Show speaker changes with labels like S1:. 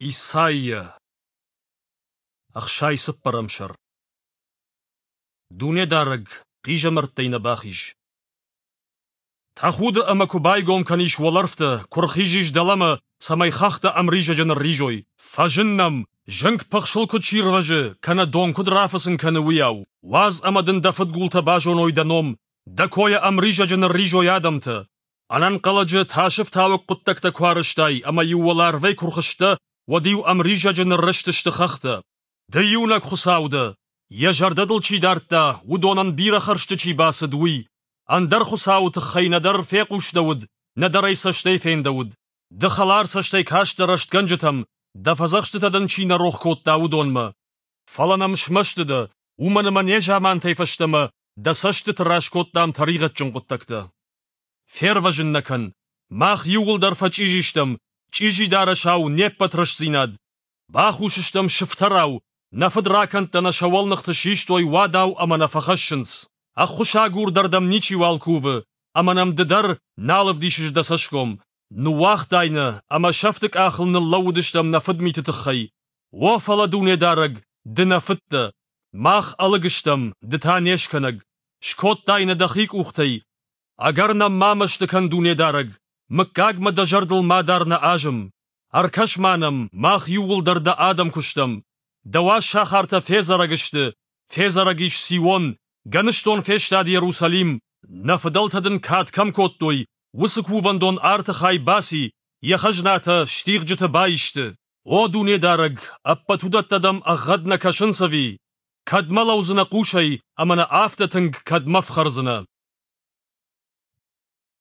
S1: Исайя, 64-ӕм сӕр. Дунедарӕг, хъизӕмӕрттӕй нӕ бахиз. Тӕхуды ӕмӕ куы байгом кӕнис уӕлӕрвтӕ, куы рхизис дӕлӕмӕ, цӕмӕй хӕхтӕ ӕмризӕджы нырризой. Фӕзын нӕм, зынг пыхсыл куыд сирвӕзы, кӕнӕ дон куыд рафыцын кӕны, уыйау. Уадз ӕмӕ дын дӕ фыдгултӕ базоной дӕ ном, дӕ койӕ ӕмризӕджы нырризой адӕмтӕ. Ӕнӕнхъӕлӕджы тасыфтауӕг хъуыддӕгтӕ куы арӕзтай ӕмӕ-иу уӕларвӕй куы рхызтӕ, уӕд-иу ӕмризӕджы ныррызтысты хӕхтӕ. Ды иунӕг Хуыцау дӕ, йӕ зӕрдӕ дыл чи дардта, уыдонӕн бирӕ хӕрзты чи бацыд, уый. Ӕндӕр Хуыцауы тыххӕй нӕдӕр фехъусдӕуыд, нӕдӕр ӕй цӕстӕй фендӕуыд. Ды хӕлар цӕстӕй кастӕ рӕстгӕнджытӕм, дӕ фӕдзӕхстытӕ дын чи нӕ рох кодта, уыдонмӕ. Фӕлӕ нӕм смӕсты дӕ, уымӕн ӕмӕ незамантӕй фӕстӕмӕ дӕ цӕстыты раз кодтам тӕригъӕдджын хъуыддӕгтӕ. Фервӕзын нӕ кӕн! Мах иууылдӕр фӕчъизи стӕм, чъизи дарӕсау не ппӕт рӕстдзинад. Бахус стӕм сыфтӕрау, нӕ фыдракӕндтӕ нӕ сӕ уӕлныхты систой уадау ӕмӕ нӕ фӕхӕссынц. Ӕххуысагур дӕр дӕм ничиуал кувы, ӕмӕ нӕм ды дӕр нал ӕвдисыс дӕ цӕсгом. Ныууагътай нӕ, ӕмӕ сӕфты къахыл ныллӕууыдыстӕм нӕ фыдмиты тыххӕй. О, фӕлӕ Дунедарӕг, ды нӕ фыд дӕ. Мах ӕлыг стӕм, ды та не скӕнӕг. Скодтай нӕ дӕхи къухтӕй. Ӕгӕр нӕм ма мӕсты кӕн, Дунедарӕг, мыггагмӕ дӕ зӕрдыл ма дар нӕ азым. Ӕркӕс-ма нӕм, мах иууылдӕр дӕ адӕм куы стӕм. Дӕ уаз сахартӕ федзӕрӕг сты, федзӕрӕг ис Сион, гӕныстон фестад Иерусалим. Нӕ фыдӕлтӕ дын кад кӕм кодтой, уыцы кувӕндон арты хай баци, йӕ хӕзнатӕ стигъджыты баисты. О Дунедарӕг, ӕппӕт уыдӕттӕ дӕм ӕгъгъӕд нӕ кӕсынц ӕви? Кӕдмӕ лӕудзынӕ хъусӕй ӕмӕ нӕ афтӕ тынг кӕдмӕ фхӕрдзынӕ?